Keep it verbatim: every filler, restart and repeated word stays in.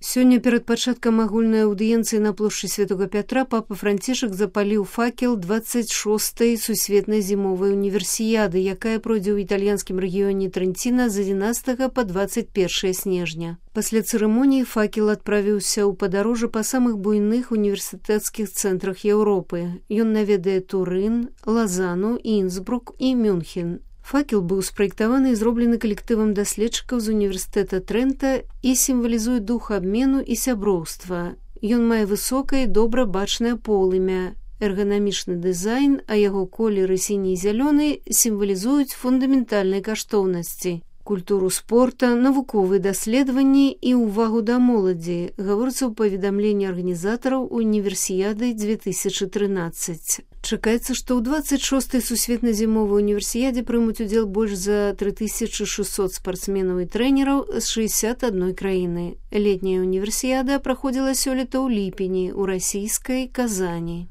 Сёння перад пачаткам агульнай аўдыенцыі на плошчы Святога Пятра папа Францішак запаліў факел дваццаць шостай сусветнай зімовай універсіяды, якая пройдзе ў італьянскім рэгіёне Трэнціна з адзінаццатага па дваццаць першае снежня. Пасля цырымоніі факел адправіўся ў падарожжа па самых буйных універсітэцкіх цэнтрах Еўропы. Ён наведае Турын, Лазану, Інсбрук і Мюнхен. Факел быў спраектаваны і зроблены калектывам даследчыкаў з універсітэта Трэнта і сімвалізуе дух абмену і сяброўства. Ён мае высокае і добра бачнае полымя, эрганамічны дызайн, а яго колеры сіні і зялёны сімвалізуюць фундаментальныя каштоўнасці, культуру спорта, навуковыя даследаванні і ўвагу да моладзі, гаворыцца ў паведамленні арганізатараў універсіяды дзве тысячы трынаццаць. Чакаецца, што ў дваццаць шостай сусветнай зімовай універсіядзе прымуць удзел больш за тры тысячы шэсцьсот спартсменаў і трэнераў з шэсцьдзясят адной краіны. Летняя універсіяда праходзіла сёлета ў ліпені ў расійскай Казані.